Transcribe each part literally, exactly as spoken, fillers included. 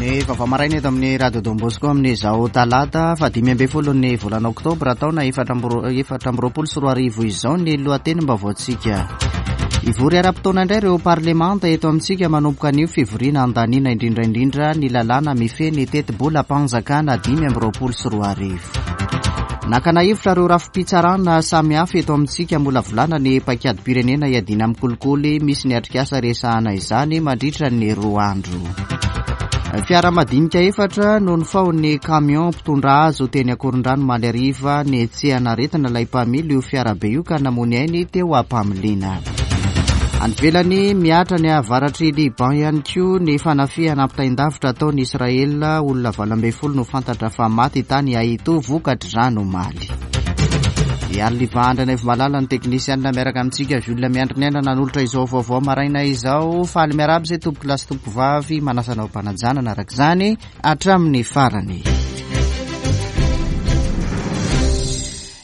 Ny vaovao maraina eto amin'ny Radio Don Bosco amin'izao talata fahadimy ambin'ny folo ny volana oktobra taona efatra amby roapolo sy roa arivo izao ny lohatenim-baovaontsika. Hivory ara-potoana indray ireo parlemanta eto amintsika manomboka anio fivoriana andaniana indrindra indrindra ny lalàna mifehy ny tetibolam-panjakana dimy amby roapolo sy roa arivo. Nakana hevitra ireo rafi-pitsarana samihafa eto amintsika molavolana ny paik'adim-pirenena hiadiana amin'ny kolikoly, misy ny atrikasa resahana izany mandritra ny roa andro. Fiara madinika efatra no nifaon'ny camion mpitondra azy teny Ankorondrano omaly hariva nihetsehana aretina ilay mpamily io fiarabe io ka namoy ainy teo am-pamiliana. Any ivelany mihatra ny avaratr'i Liban ihany koa ny fanafihana ampitain-davitra ataon'i Israel, olona valo ambin'ny folo no fantatra fa maty tany Haito vokatr'izany omaly. Ary Liban Andranaivo Malala ny teknisianina miaraka amintsika Jules Miandry ny aina nanolotra izao vaovao maraina izao. Faly miarahaba izay tompoko lahy sy tompoko vavy, manasa anao am-panajanana araka izany hatramin'ny farany.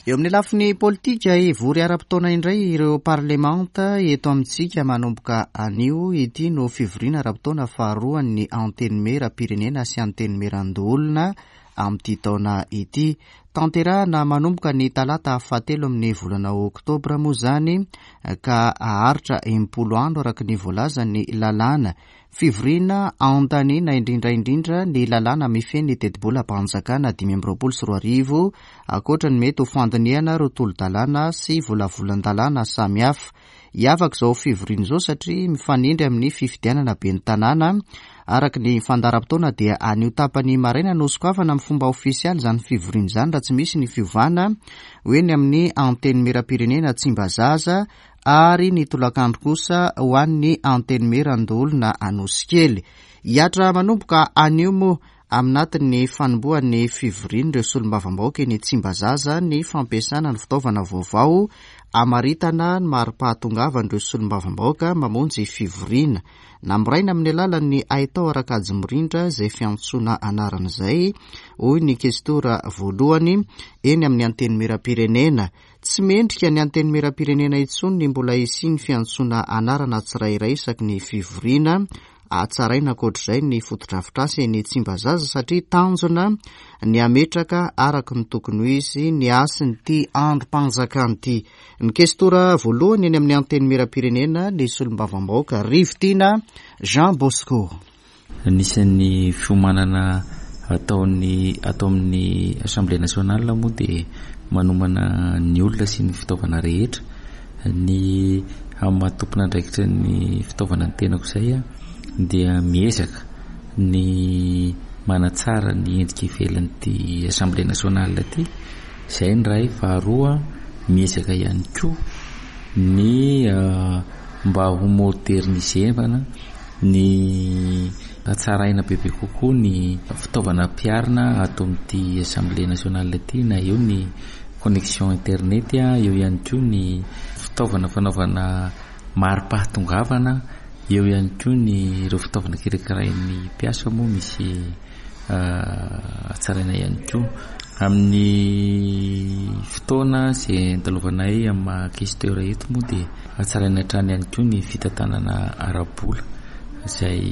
Eo amin'ny lafiny politika, hivory ara-potoana indray ireo parlemanta eto amintsika manomboka anio. Ity no fivoriana ara-potoana faharoan'ny antenimieram-pirenena sy antenimierandoholona amin'ity taona ity. Tanterahana manomboka ny talata fahatelo amin'ny volana oktobra moa izany ka haharitra enimpolo andro araka ny voalazan'ny lalàna. Fivoriana andaniana indrindra indrindra ny lalàna mifehy ny tetibolam-panjakana dimy amby roapolo sy roa arivo, ankoatra ny mety ho fandinihana ireo tolo-dalàna sy volavolan-dalàna samihafa. Hiavaka izao fivoriana izao satria mifanindry amin'ny fifidianana ben'ny tanàna. Araka ny fandaharam-potoana dia anio tapany maraina no sokafana amin'ny fomba ofisialy izany fivoriana izany raha tsy misy ny fiovana ho eny amin'ny antenimieram-pirenena Tsimbazaza ary ny tolakandro kosa ho an'ny antenimierandoholona Anosikely. Hihatra manomboka anio moa aminatin'ny fanombohan'ny fivorian'ireo solombavambahoaka eny Tsimbazaza ny fampiasana ny fitaovana vaovao hamaritana ny mari-pahatongavan'ireo solombavambahoaka mamonjy fivoriana. Namboraina amin'ny alalan'ny haitao ara-kajy mirindra izay fiantsoana anarana izay, hoy ny kestora voalohany eny amin'ny antenimieram-pirenena. Tsy mendrika ny antenimieram-pirenena intsony ny mbola hisian'ny fiantsoana anarana tsirairay isaky ny fivoriana. Hatsaraina ankoatr'izay ny fotodrafitrasa eny Tsimbazaza satria tanjona ny hametraka araka ny tokony ho izy ny hasin'ity androm-panjakana ity. Ny kestora voalohany eny amin'ny antenimieram-pirenena ny solombavambahoaka Rivotiana Jean Bosco. Anisan'ny fiomanana ataon'ny atao amin'ny Assemblée nationale moa dia manomana ny olona sy ny fitaovana rehetra. Ny amin'ny maha tompon'andraikitra ny fitaovana ny tenako izay dia miezaka ny manatsara ny endrika ivelan'ity Assemblée nationale ity. Izay ny iray. Faharoa, miezaka ihany koa ny mba ho modernisevana ny hatsaraina bebe kokoa ny fitaovana ampiharina ato amin'ity Assemblée nationale ity, na eo ny connexion internet, eo ihany koa ny fitaovana fanaovana mari-pahatongavana, eo ihany koa ny ireo fitaovana kirakirain'ny mpiasa moa misy hatsaraina ihany koa. Amin'ny fotoana izay andalovanay amin'ny maha questeur eto moa dia hatsaraina hatrany ihany koa ny fitantanana ara-bola izay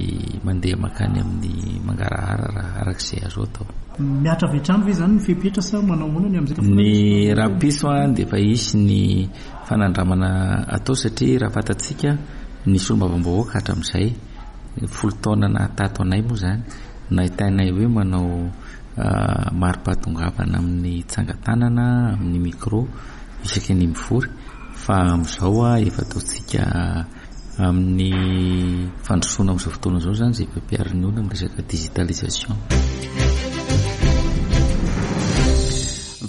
mandeha mankany amin'ny mangarahara raha araka izay azo atao. Mihatra avy hatrany ve izany ny fepetra sa manao ahoana ny amin'izay? Ny rahampitso dia efa hisy ny fanandramana atao satria raha fantatsika ny solombavambahoaka hatramin'izay folo taona nahatato anay moa izany nahitainay hoe manao mari-pahatongavana amin'ny tsangan-tanana amin'ny micro isaky ny mivory, fa amin'izao efa ataontsika amin'ny fandrosoana amin'izao fotoana izao izany izay efa ampiharin'ny olona amin'ny resaka digitalisation.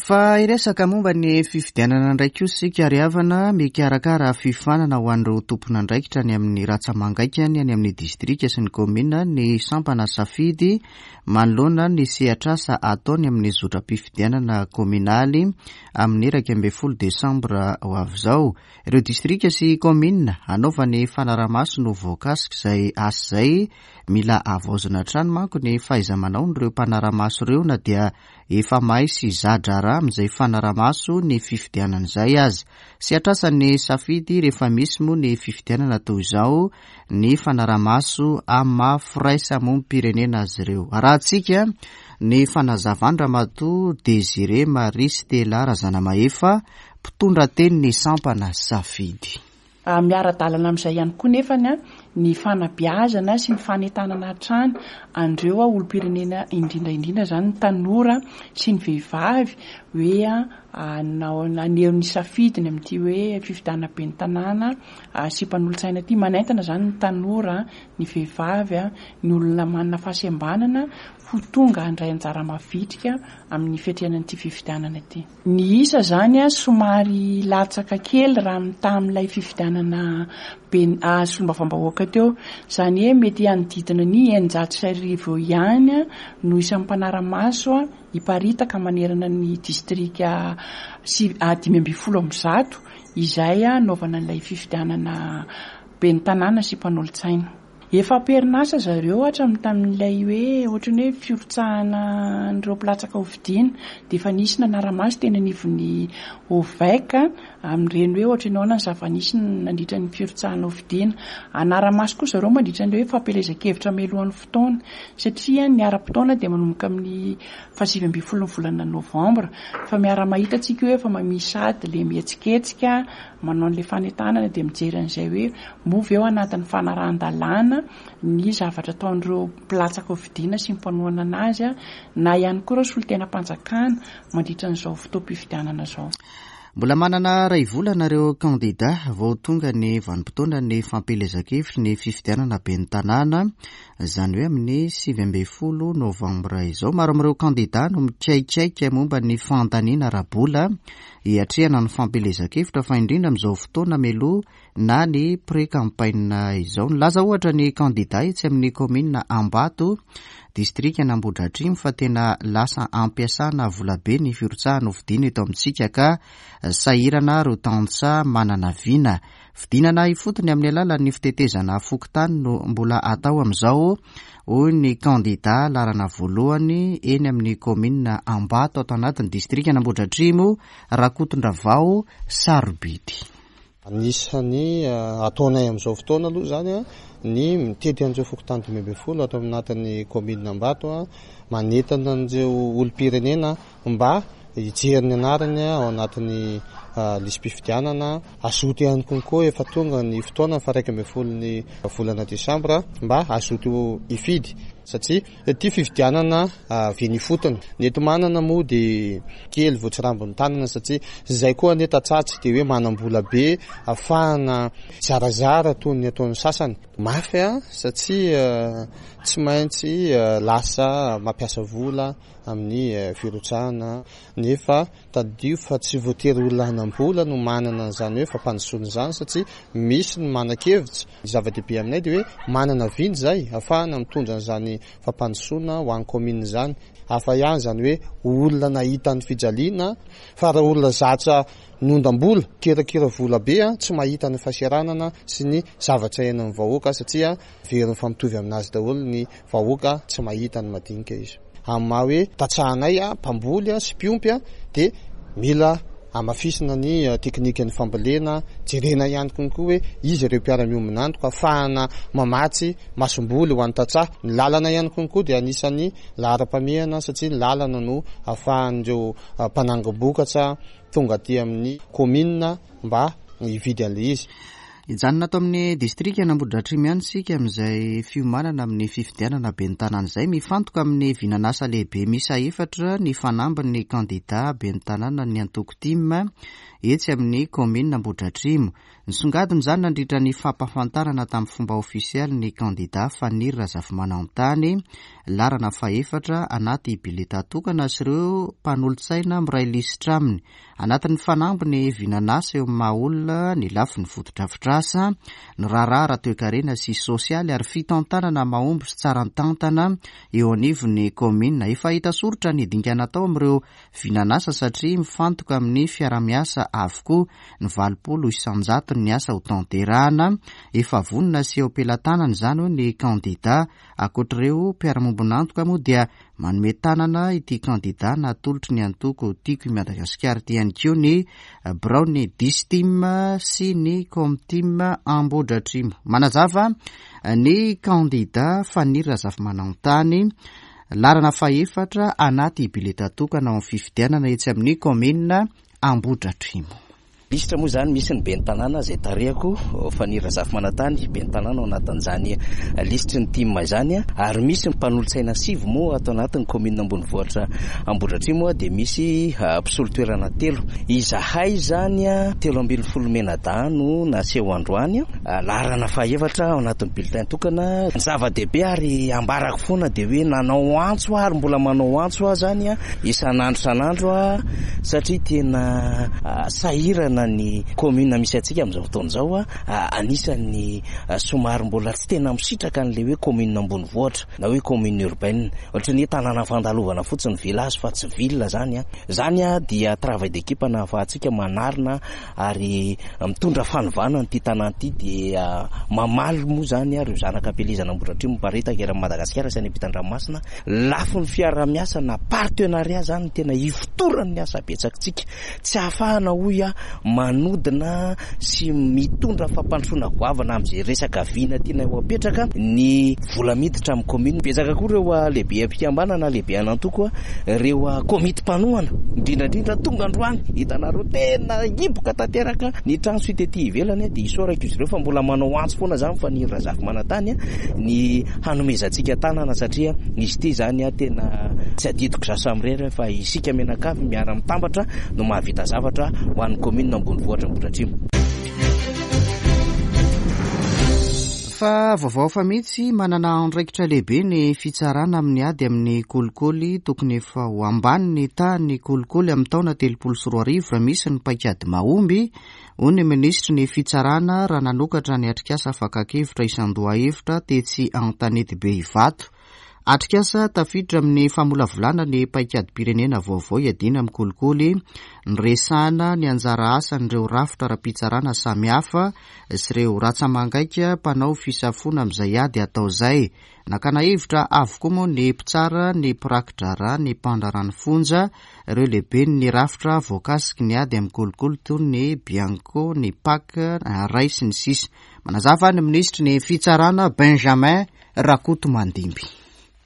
Fa hiresaka momba ny fifidianana indray koa isika ry havana. Mikarakara fiofanana ho an'ireo tompon'andraikitra any amin'ny ratsa-mangaikany any amin'ny distrika sy ny kaominina ny sampana safidy manoloana ny sehatrasa ataony amin'ny zotram-pifidianana kaominaly amin'ny iraika ambin'ny folo desambra ho avy izao. Ireo distrika sy kaominina hanaovany fanarahamaso no voakasika izay asa izay. Mila havaozina hatrany manko ny fahaiza-manaon'ireo mpanarahamaso ireo na dia efa mahay sy za-draharaha amin'izay fanarahamaso ny fifidianana izay aza. Sehatr'asan'ny Safidy rehefa misy moa ny fifidianana toy izao ny fanarahamaso amin'ny maha firaisamonim-pirenena azy ireo. Arahantsika ny fanazavan-dRamatoa Désiré Marie Stella Razanamahefa, mpitondra tenin'ny sampana Safidy. Miara-dalana amin'izay ihany koa nefany ny fanabeazana sy ny fanentanana hatrany an'ireo olom-pirenena, indrindra indrindra izany ny tanora sy ny vehivavy, hoe naneho ny safidiny amin'ity hoe fifidianana ben'ny tanàna sy mpanolotsaina ity. Manentana izany ny tanora, ny vehivavy, ny olona manana fahasembanana ho tonga handray anjara mavitrika amin'ny fiatrehana an'ity fifidianana ity. Ny isa izany somary latsaka kely raha mitaha amin'ilay fifidianana ben-, solombavambahoaka teo. Izany hoe mety hanodidina ny eninjato sy arivo eo ihany no isan'ny mpanara-maso hiparitaka manerana ny distrika sy dimy ambin'ny folo amby zato izay hanaovana an'ilay fifidianana ben'ny tanàna sy mpanolotsaina. Efa am-perinasa zareo hatramin'ny tamin'ilay hoe ohatran'ny hoe firotsahana an'ireo mpilatsaka ho fidiana, dia efa nisy nanara-maso teny anivon'ny O V E C amin'ireny hoe ohatran'ny ahoana ny zava-nisy nandritra ny firotsahana ho fidiana. Hanara-maso koa zareo mandritra ny hoe fampielezan-kevitra mialohan'ny fotoana, satria ny ara-potoana dia manomboka amin'ny fahasivy ambin'ny folo ny volana novambra, fa miara-mahita tsika hoe efa misy sady le mihetsiketsika manao an'ilay fanentanana, dia mijery an'izay hoe moa ve ao anatin'ny fanarahan-dalàna ny zavatra ataon'ireo mpilatsaka ho fidiana sy ny mpanohana anazy, na ihany koa ireo solontenam-panjakana mandritra an'izao fotoam-pifidianana izao. Mbola manana iray volana ireo kandida vao tonga ny vanim-potoana ny fampielezan-kevitry ny fifidianana ben'ny tanàna, izany hoe amin'ny sivy ambin'ny folo novambra izao. Maro amin'ireo kandida no mikaikaika momba ny fandaniana ara-bola hiatrehana ny fampielezan-kevitra, fa indrindra amin'izao fotoana mialoha na ny pré-campagne izao. Nilaza ohatra ny kandida etsy amin'ny kaominina Ambato, distrika Ambohidratrimo, fa tena lasa ampiasana volabe ny firotsahana ho fidiana eto amintsika, ka sahirana ireo tantsaha manana vina. Fidinana ifotony amin'ny alalan'ny fitetezana fokontany no mbola atao amin'izao, hoy ny kandida laharana voalohany eny amin'ny kaominina Ambato ato anatin'ny distrika Ambohidratrimo, Rakotondravao Sarobidy. Anisan'ny ataonay amin'izao fotoana aloha zany a ny mitety an'ireo fokontany dimy ambin'ny folo atao anatin'ny kaominina Ambato, a manentana an'ireo olom-pirenena mba hijery ny anarany ao anatin'ny lisi-pifidianana. Hazoto ihany konkoa, efa tonga ny fotoana fa iraika ambin'ny folo ny volana desambra, mba hazoto hifidy satria ity fifidianana avy eny ifotony. Ny enti-manana moa dia kely voatsirambin'ny tanana, satria izay koa anie tantsaha tsy dia hoe manam-bola be ahafahana zarazara toy ny ataon'ny sasany. Mafy a satria tsy maintsy lasa mampiasa vola amin'ny firotsahana, nefa tadidio fa tsy voatery olona hanam-bola no manana an'izany hoe fampandrosoana izany, satria misy ny manan-kevitra. Ny zava-dehibe aminay dia hoe manana vina izay ahafahana mitondra an'izany fampandrosoana ho an'ny kaominina izany. Hafa ihany izany hoe olona nahita ny fijaliana, fa raha olona zatra niondam-bola, kirakira vola be, tsy mahita ny fahasahiranana sy ny zavatra iainan'ny vahoaka, satria very mifampitovy aminazy daholo ny vahoaka, tsy mahita ny madinika izy. Amin'ny maha hoe tantsahanay mpamboly sy mpiompy dia mila hamafisina ny teknikan'ny fambolena, jerena ihany konkoa hoe izy ireo mpiara-miombon'antoka ahafahana mamatsy masomboly ho an'ny tantsaha. Ny lalana ihany konkoa dia anisan'ny laharam-pahamehana, satria ny lalana no ahafahan'ireo mpanangom-bokatra tonga aty amin'ny kaominina mba hividy an'ilay izy. Hijanona ato amin'ny distrika Ambohidratrimo ihany isika amin'izay fiomanana amin'ny fifidianana ben'ny tanàna izay. Mifantoka amin'ny vinanasa lehibe miisa efatra ny fanambin'ny kandida ben'ny tanàna ny antoko TIM etsy amin'ny kaominina Ambohidratrimo. Nisongadina izany nandritra ny fampahafantarana tamin'ny fomba ofisialy ny kandida Faniry Razafimanantany, laharana fahefatra anaty bileta tokana, sy ireo mpanolotsaina miray lisitra aminy. Anatin'ny fanambiny vinanasa eo amin'ny maha olona, ny lafiny fotodrafitrasa, ny raharaha ara-toekarena sy sosialy ary fitantanana mahomby sy tsara tantana eo anivon'ny kaominina. Efa hita soritra ny dingana atao amin'ireo vinanasa, satria mifantoka amin'ny fiarahamiasa avokoa ny valopolo isanjato. ny asa ho tanterahana. Efa vonona sy eo am-pelatanana izany hoy ny kandida. Ankoatr'ireo mpiara-miombon'antoka moa dia manome tanana ity kandida natolotry ny antoko Tiako i Madagasikara ity ihany koa ny biraon'ny Distim sy ny Comtim Ambohidratrimo. Manazava ny kandida Faniry Razafimanantany, laharana fahefatra anaty bileta tokana ao amin'ny fifidianana etsy amin'ny kaominina Ambohidratrimo. Lisitra moa izany misy ny ben'ny tanàna izay tarihako, Faniry Razafimanantany, ben'ny tanàna ao anatin'izany lisitry ny T I M izany, ary misy ny mpanolotsaina sivy moa ato anatin'ny kaominina ambonivohitra Ambohidratrimo, dia misy mpisolo toerana telo. Izahay izany telo ambin'ny folo menadahy no naseho androany, laharana fahefatra ao anatin'ny bulletin tokana. Ny zava-dehibe ary ambarako foana dia hoe nanao antso aho ary mbola manao antso aho izany isan'andro isan'andro, satria tena sahirana ny commune misy antsika amin'izao fotoana izao, anisan'ny somary mbola tsy tena misitraka an'ilay hoe commune ambonivohitra na hoe commune urbaine, ohatran'ny hoe tanàna fandalovana fotsiny village fa tsy ville zany. Zany dia travail d'équipe nahafahantsika manarina ary mitondra fanovana an'ity tanàna ity, dia mamaly moa zany ireo zanaka am-pielezana Ambohidratrimo miparitaka eran'i Madagasikara sy any ampitan-dranomasina. Lafiny fiaraha-miasa na partenariat zany no tena ifotoran'ny asa betsakitsika, tsy ahafahana hoy aho manodina sy mitondra fampandrosoana goavana amin'izay resaka vina tiana ho apetraka ny vola miditra amin'ny commune. Betsaka koa ireo lehibe am-pikambanana, lehibe an'antoko, ireo komity mpanohana indrindra indrindra tonga androany, hitanareo tena hiboka tanteraka ny trano sy tety ivelany, dia isaorako izy ireo fa mbola manao antso foana zany Faniry Razafimanantany ny hanomezantsika tanana, satria izy ity zany tena tsy adidiko za samirery fa isika mianakavy miara-mitambatra no mahavita zavatra ho an'ny commune ambonivohitra Ambohidratrimo. Fa vaovao fa mihitsy, manana andraikitra lehibe ny fitsarana amin'ny ady amin'ny kolikoly. Tokony efa ho ambany ny tahan'ny kolikoly amin'ny taona telopolo sy roa arivo raha misy ny paikady mahomby, hoy ny minisitry ny fitsarana raha nanokatra ny atrikasa fakan-kevitra isan-dohahevitra tetsy Antanetibe Ivato. Atrikasa tafiditra amin'ny famolavolana ny paikady-pirenena vaovao hiadiana amin'ny kolikoly, niresahana ny anjara asan'ireo rafitra ara-pitsarana samihafa sy ireo ratsa-mangaika mpanao fisafoana amin'izay ady atao izay. Nakana hevitra avokoa moa ny mpitsara, ny mpiraki-draharaha, ny mpandraharaha ny fonja, ireo lehiben'ny rafitra voakasiky ny ady amin'ny kolikoly toy ny Bianco, ny P A C, Ray sy ny sisa. Manazava ny minisitry ny fitsarana Benjamin Rakotomandimby.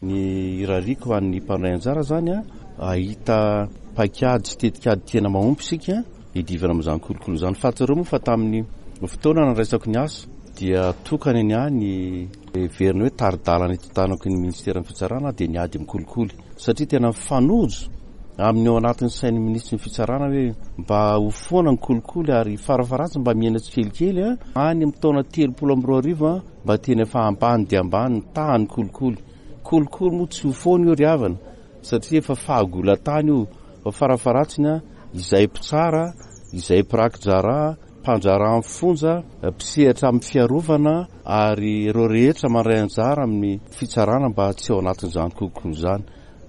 Ny irariako ho an'ny mpandray anjara zany a ahita paikady sy tetikady tena mahomby isika hiadivana amin'izany kolikoly izany. Fantatrareo moa fa tamin'ny fotoana nandraisako ny asa dia tokana ny ahy ny heverina hoe tari-dalana hitantanako ny ministeran'ny fitsarana dia ny ady amin'ny kolikoly, satria tena mifanojo amin'ny ao anatin'ny sain'ny minisitry ny fitsarana hoe mba ho foana ny kolikoly ary farafaharatsiny mba mihena tsikelikely a any amin'ny taona telopolo amby roa arivo a mba tena efa ambany dia ambany ny tahan'ny kolikoly. Kolikoly moa tsy ho foana io ry havana, satria efa fahagola-tany io, fa farafaharatsiny a izay mpitsara, izay mpiraki-draharaha, mpandraharaha amin'ny fonja, mpisehatra amin'ny fiarovana ary ireo rehetra mandray anjara amin'ny fitsarana mba tsy ao anatin'izany kolikoly izany.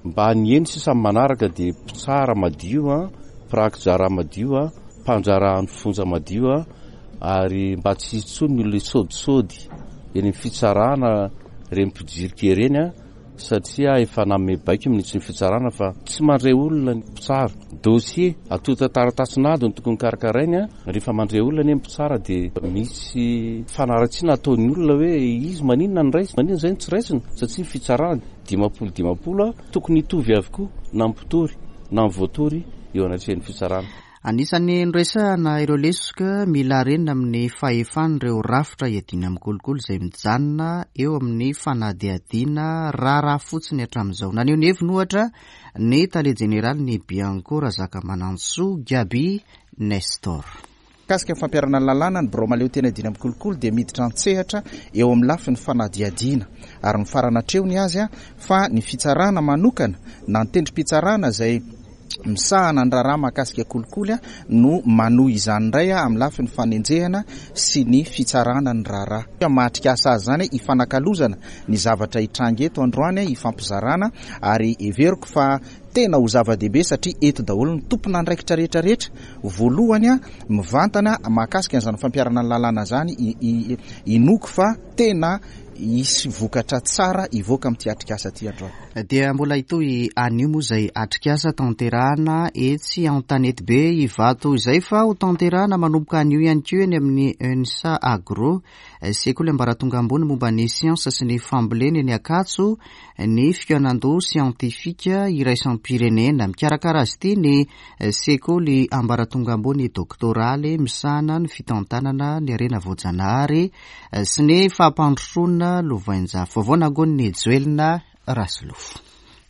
Mba ny eny sisa manaraka dia mpitsara madio a, mpiraki-draharaha madio a, mpandraharaha ny fonja madio a, ary mba tsy hisy intsony ny olona hisodisody eny amin'ny fitsarana ireny mpijirika ireny a, satria efa nanome baiko minisitry ny fitsarana fa tsy mandray olona ny mpitsara. Dossier antontan-taratasin'ady no tokony karakarainy a. Rehefa mandray olona anie ny mpitsara dia misy fanaratsiana ataon'ny olona hoe izy maninona ny raisina, maninona izay no tsy raisina, satria ny fitsarana dimampolo dimampolo a tokony hitovy avokoa na ny mpitory na ny voatory eo anatrehan'ny fitsarana. Anisan'ny noresahana ireo lesoka mila harenina amin'ny fahefan'ireo rafitra hiadiana amin'ny kolikoly izay mijanona eo amin'ny fanadihadiana raharaha fotsiny hatramin'izao. Naneho ny heviny ohatra ny tale jeneraly ny Bianco Razakamanantsoa Gaby Nestor. Mikasika ny fampiharana ny lalàna, ny birao mahaleo tena hiadiana amin'ny kolikoly dia miditra an-tsehatra eo amin'ny lafiny fanadihadiana ary mifarana hatreo ny azy, fa ny fitsarana manokana na ny tendrim-pitsarana izay misahana ny raharaha mahakasika kolikoly no manohy izany indray amin'ny lafiny fanenjehana sy ny fitsarana ny raharaha. Mahatrikasa azy izany hifanakalozana ny zavatra hitranga eto androany, hifampizarana, ary heveriko fa tena ho zava-dehibe satria eto daholo ny tompon'andraikitra rehetra rehetra. Voalohany mivantana mahakasika an'izany fampiharana ny lalàna izany, inoako fa tena hisy vokatra tsara hivoaka amin'ity atrikasa ity androany. Dia mbola hitohy anio moa izay atrikasa tanterahana etsy Antanetibe Ivato izay, fa ho tanterahana manomboka anio ihany koa eny amin'ny ENSA Agro, sekoly ambaratonga ambony momba ny siansa sy ny fambolena eny Ankatso, ny fikaonandoha siantifika iraisam-pirenena. Mikarakara azy ity ny sekoly ambaratonga ambony doktoraly misahana ny fitantanana ny harena voajanahary sy ny fampandrosoana lovainjafy. Vaovao nangonin'i Joelina Rasolofo.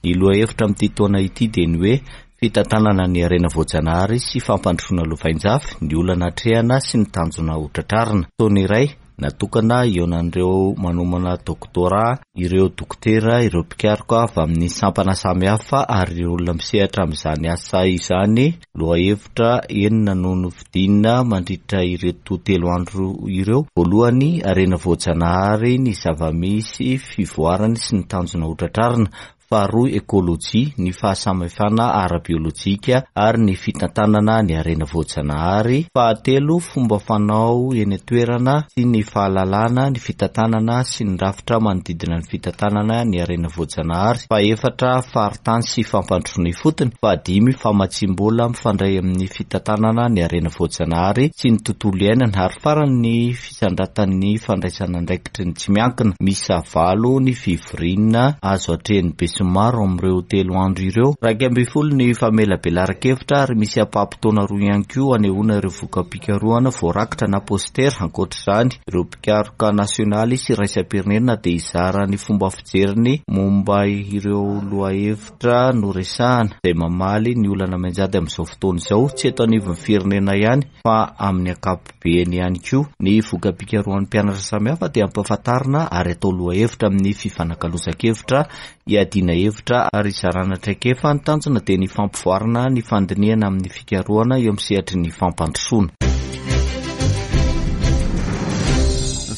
Ny lohahevitra amin'ity taona ity dia ny hoe fitantanana ny harena voajanahary sy fampandrosoana lovainjafy, ny olana atrehana sy ny tanjona ho tratrarina. Taona iray natokana hihaonan'ireo manomana doktora, ireo dokotera, ireo mpikaroka avy amin'ny sampana samihafa ary ireo olona misehatra amin'izany asa izany. Lohahevitra enina no nofidina mandritra ireto telo andro ireo. Voalohany, harena voajanahary, ny zava-misy, fivoarany sy ny tanjona ho tratrarina. Faharoa, ekolojia, ny fahasamihafana ara-biolojika ary ny fitantanana ny harena voajanahary. Fahatelo, fomba fanao eny an-toerana sy ny fahalalana, ny fitantanana sy ny rafitra manodidina ny fitantanana ny harena voajanahary. Fahefatra, faritany sy fampandrosoana ifotony. Fahadimy, famatsiam-bola mifandray amin'ny fitantanana ny harena voajanahary sy ny tontolo iainana. Ary farany, ny fisandratan'ny fandraisana andraikitry ny tsy miankina. Misy valo ny fivoriana azo atrehin'ny besinimaro amin'ireo telo andro ireo. Iraika ambin'ny folo ny famelabelaran-kevitra ary misy ampaham-potoana roa ihany koa anehoana ireo voka-pikarohana voarakitra na postera. Ankoatr'izany, ireo mpikaroka nasionaly sy iraisam-pirenena dia hizara ny fomba fijeriny momba ireo lohahevitra noresahana izay mamaly ny olana mianjady amin'izao fotoana izao, tsy eto anivon'ny firenena ihany fa amin'ny ankapobeny ihany koa. Ny voka-pikarohan'ny mpianatra samihafa dia ampahafantarina ary atao lohahevitra amin'ny fifanakalozan-kevitra, hiadiana hevitra ary hizarana traikefa. Ny tanjona dia ny fampivoarana ny fandinihana amin'ny fikarohana eo amin'ny sehatry ny fampandrosoana.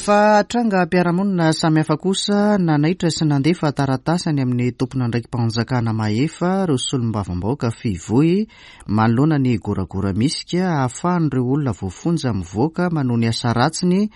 Fa trangam-piarahamonina samihafa kosa nanaitra sy nandefa taratasy any amin'ny tompon'andraiki-panjakana mahefa ireo solombavambahoaka fivoy manoloana ny goragora misika ahafahan'ireo olona voafonja mivoaka manohy ny asa ratsiny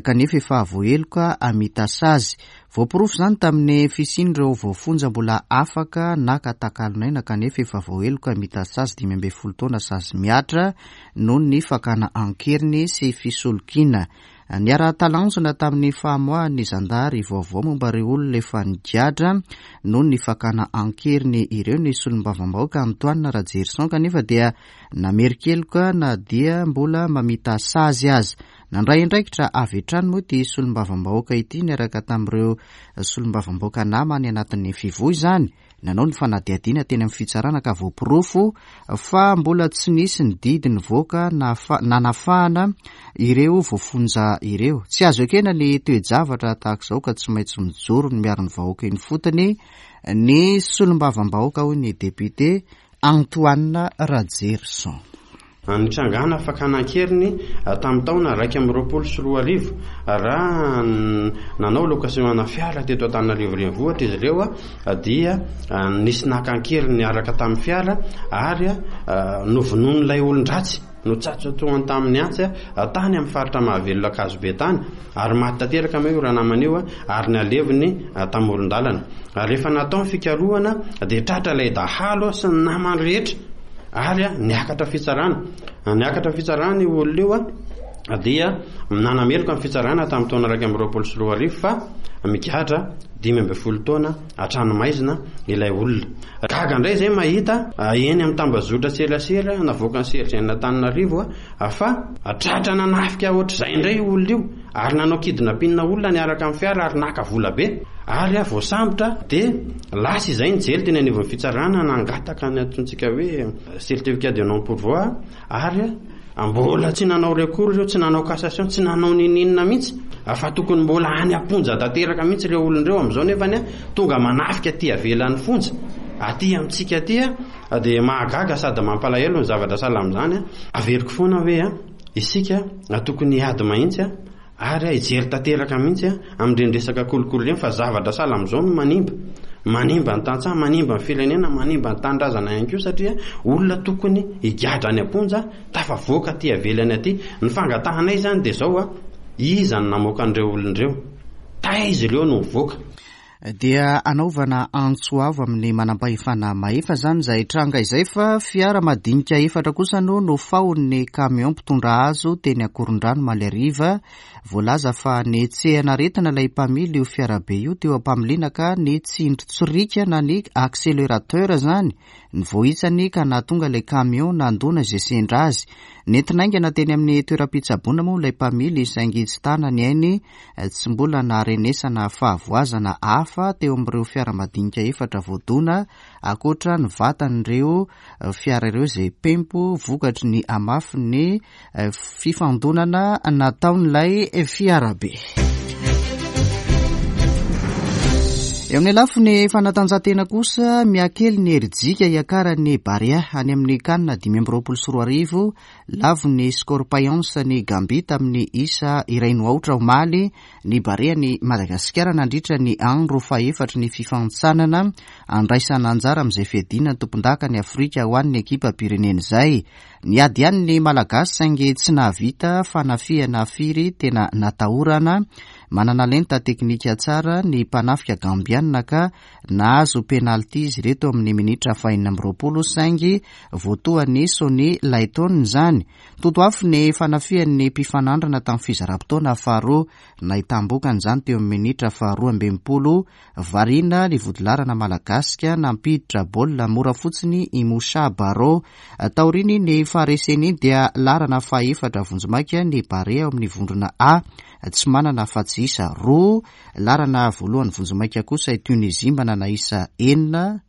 kanefa efa voaheloka hamita sazy. Voaporofo izany tamin'ny fisian'ireo voafonja mbola afaka naka takalon'aina kanefa efa voaheloka hamita sazy dimy ambin'ny folo taona sazy mihatra noho ny fakana an-keriny sy fisolokiana. Niara-talanjona tamin'ny famoahan'ny zandary vaovao momba ireo olona efa nigadra noho ny fakana an-keriny ireo ny solombavambahoaka Antoine Rajerison, kanefa dia namerin-keloka na dia mbola mamita sazy aza. Nandray andraikitra avy hatrany moa ity solombavambahoaka ity niaraka tamin'ireo solombavambahoaka namany anatin'ny fivoy izany. Nanao ny fanadihadiana teny amin'ny fitsarana ka voaporofo fa mbola tsy nisy ny didy nivoaka nanafahana ireo voafonja ireo. Tsy azo ekena ny toe-javatra tahaka izao ka tsy maintsy mijoro ny miaro ny vahoaka eny fotony ny solombavambahoaka, hoy ny député Antoine Rajerison. Nitrangana fakana an-keriny tamin'ny taona iraika amby roapolo sy roa arivo raha nanao location fiara teto Antananarivo renivohitra izy ireo, dia nisy naka an-keriny niaraka tamin'ny fiara ary novonoin'ilay olon-dratsy notsatsatohany tamin'ny antsy tany amin'ny faritra Mahavelona Ankazobe tany, ary maty tanteraka moa io ranamana io ary naleviny tamoron-dalana. Ary rehefa natao ny fikarohana dia tratra ilay dahalo sy ny namany rehetra ary niakatra fitsarana. Niakatra fitsarana io olona io dia nanameloka ny fitsarana tamin'ny taona iraika amby roapolo sy roa arivo fa migadra dimy ambin'ny folo taona an-tranomaizina ilay olona. Gaga indray izay mahita eny amin'ny tambazotra serasera navoakan'ny C R G N Antananarivo fa tratra nanafika ohatr'izay indray io olona io ary nanao kidnapping olona niaraka amin'ny fiara ary naka vola be ary voasambotra dia lasa izay nijery teny anivon'ny fitsarana nangataka ny antsontsika hoe certificat de non pourvoi ary mbola tsy nanao recours ireo, tsy nanao cassation, tsy nanao nininona mihitsy fa tokony mbola any am-ponja tanteraka mihitsy ireo olona ireo amin'izao, nefa ny tonga manafika aty avelan'ny fonja. Aty amintsika aty a dia mahagaga sady mampalahelo ny zavatra sahala amin'izany. Averiko foana hoe a isika tokony hiady mahitsy a ary hijery tanteraka mihitsy amin'ireny resaka kolikoly ireny, fa zavatra sahala amin'izao no manimba. Manimba ny tantsaha, manimba ny firenena, manimba ny tanindrazana ihany koa, satria olona tokony higadra any am-ponja tafavoaka aty avelany aty. Ny fangatahanay izany dia izao a, iza no namoaka an'ireo olona ireo? Taiza ireo no mivoaka? Dia anaovana antso avo amin'ny manam-pahefana mahefa izany izay tranga izay, fa fiara madinika efatra kosa no nofahon'ny kamion mpitondra hazo teny Ankorondrano omaly hariva. Voalaza fa netsehana aretina ilay mpamily io fiarabe io teo am-pamiliana ka ny tsindrin-tsirika na ny accélérateur izany ny voahitsany ka nahatonga ilay kamion nandona izay sendra azy. Nentina haingana teny amin'ny toeram-pitsaboana moa ilay mpamily saingy tsy tana ny ainy, tsy mbola naharenesana fahavoazana hafa teo amin'ireo fiara madinika efatra voadona, ankoatra ny vatan'ireo fiara ireo izay pempo vokatry ny hamafin'ny fifandonana nataon'ilay fiarabe. Eo amin'ny lafiny fanatanjahantena kosa, mihakely ny herijika hiakaran'ny Barea any amin'ny CAN dimy amby roapolo sy roa arivo. Lavon'ny Scorpions ny Gambia tamin'ny isa iray no aotra omaly ny Barea ny Madagasikara nandritra ny andro fahefatry ny fifanintsanana andraisana anjara amin'izay fiadiana ny tompondaka ny Afrika ho an'ny ekipam-pirenena izay. Niady ihany ny Malagasy saingy tsy nahavita fanafihana firy tena natahorana. Manana lenta teknika tsara ny mpanafika gambianina ka nahazo penalty izy ireto amin'ny minitra fahenina amby roapolo saingy voatohan'ny Sony Layton izany. Totoafo ny fanafihan'ny mpifanandrina tamin'ny fizaram-potoana faharoa, nahitam-bokany izany teo amin'ny minitra faharoa amby enimpolo. Variana ny vodilarana malagasika nampiditra baolina mora fotsiny i Moussa Barro. Taoriany ny fahareseny iny dia larana fahefatra vonjimaika ny Barea ao amin'ny vondrona A, tsy manana afa-tsy isa roa. Larana voalohany vonjimaika kosa i Tunisie manana isa enina,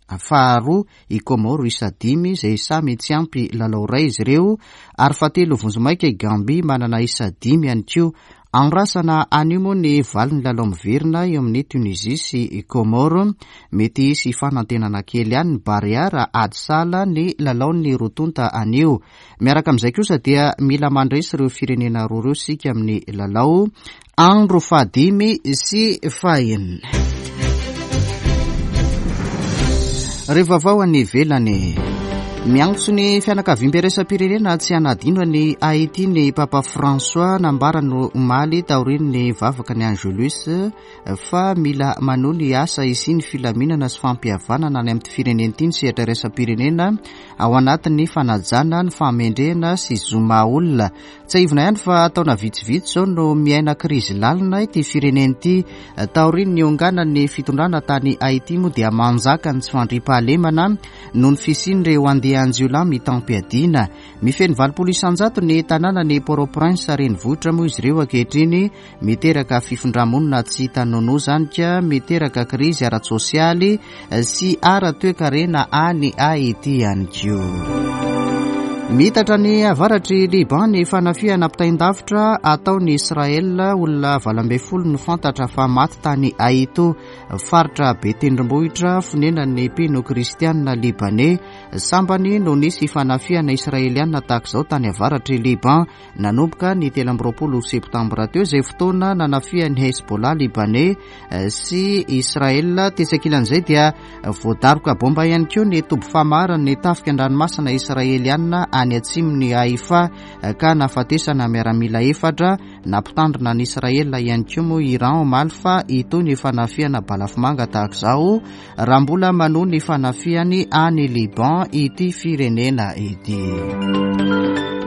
faharoa i Comores isa dimy izay samy tsy ampy lalao iray izy ireo, ary fahatelo vonjimaika i Gambia manana isa dimy ihany koa. Andrasana anio moa ny valin'ny lalao miverina eo amin'ny Tunisie sy Comores. Mety hisy fanantenana kely ihany ny Barea raha ady sahala ny lalaon'ny roa tonta anio. Miaraka amin'izay kosa dia mila mandresy ireo firenena roa ireo isika amin'ny lalao andro fahadimy sy fahenina. Rehefa vaovao any ivelany, miantso ny fianakaviambe iraisam-pirenena tsy hanadino ny Haiti ny Papa François. Nambarany omaly taorian'ny vavaka ny Angelus fa mila manohy ny asa hisian'ny filaminana sy fampihavanana any amin'ny firenena ity ny sehatra iraisam-pirenena ao anatin'ny fanajana ny fahamendrehana sy zo maha olona. Tsiahivina ihany fa taona vitsivitsy izao no miaina krizy lalina ity firenena ity. Taorian'ny nionganan'ny fitondrana tany Haiti moa dia manjaka ny tsy fandriampahalemana noho ny fisian'ireo andian-jiolahy mitam-piadiana. Mifeno valopolo isanjato ny tanànan'i Port-au-Prince renivohitra moa izy ireo ankehitriny, miteraka fifindramonina tsy hita nonoa izany ka miteraka krizy ara-tsosialy sy ara-toekarena any Haiti ihany koa. Mitatra ny avaratry Liban ny fanafihana ampitain-davitra ataon'i Israel. Olona valo ambin'ny folo no fantatra fa maty tany Aito, faritra be tendrombohitra fonenan'ny mpino kristianina libanais. Sambany no nisy fanafihana israelianina tahaka izao tany avaratry Liban nanomboka ny telo amby roapolo septambra teo, izay fotoana nanafihan'ny Hezbollah libanais sy Israel. Tetsy ankilan'izay dia voadaroka bomba ihany koa ny toby famaran'ny tafika an-dranomasina israelianina any atsimon'i Haifa ka nahafatesana miaramila efatra. Nampitandrina ny Israel ihany koa moa Iran omaly fa hitohy ny fanafihana balafomanga tahaka izao raha mbola manohy ny fanafihany any Liban ity firenena ity.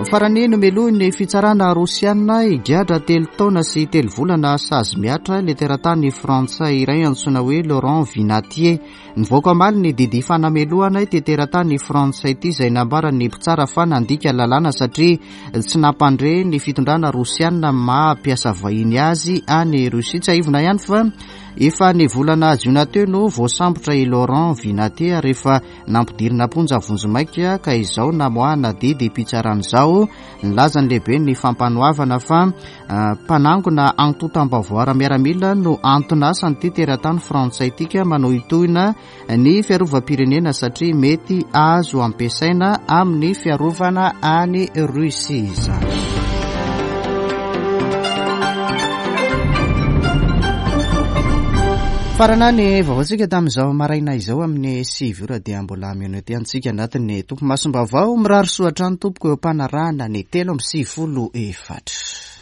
Farany, nomelohin'ny fitsarana rosiana higadra telo taona sy telo volana sazy mihatra ilay teratany frantsay iray antsoina hoe Laurent Vinatier. Nivoaka omaly ny didy fanamelohana ity teratany frantsay ity izay nambaran'ny mpitsara fa nandika lalàna satria tsy nampandre ny fitondrana rosiana maha mpiasa vahiny azy any Rosia. Tsiahivina ihany fa Efa ny volana jiona teo no voasambotra i Laurent Vinatier rehefa nampidirina am-ponja vonjimaika ka izao namoahana didim-pitsarana izao. Nilaza ny lehiben'ny fampanoavana fa mpanangona antontam-baovao ara-miaramila no anton'asan'ity teratany frantsay ity ka manohitohina ny fiarovam-pirenena satria mety azo ampiasaina amin'ny fiarovana any Russie izany. Farana ny vaovaontsika tamin'izao maraina izao amin'ny sivy ora dia mbola mionona ety antsika anatin'ny tompo masom-baovao. Mirary soa hatrany tompoko eo am-panarahana ny telo amby sivifolo efatra.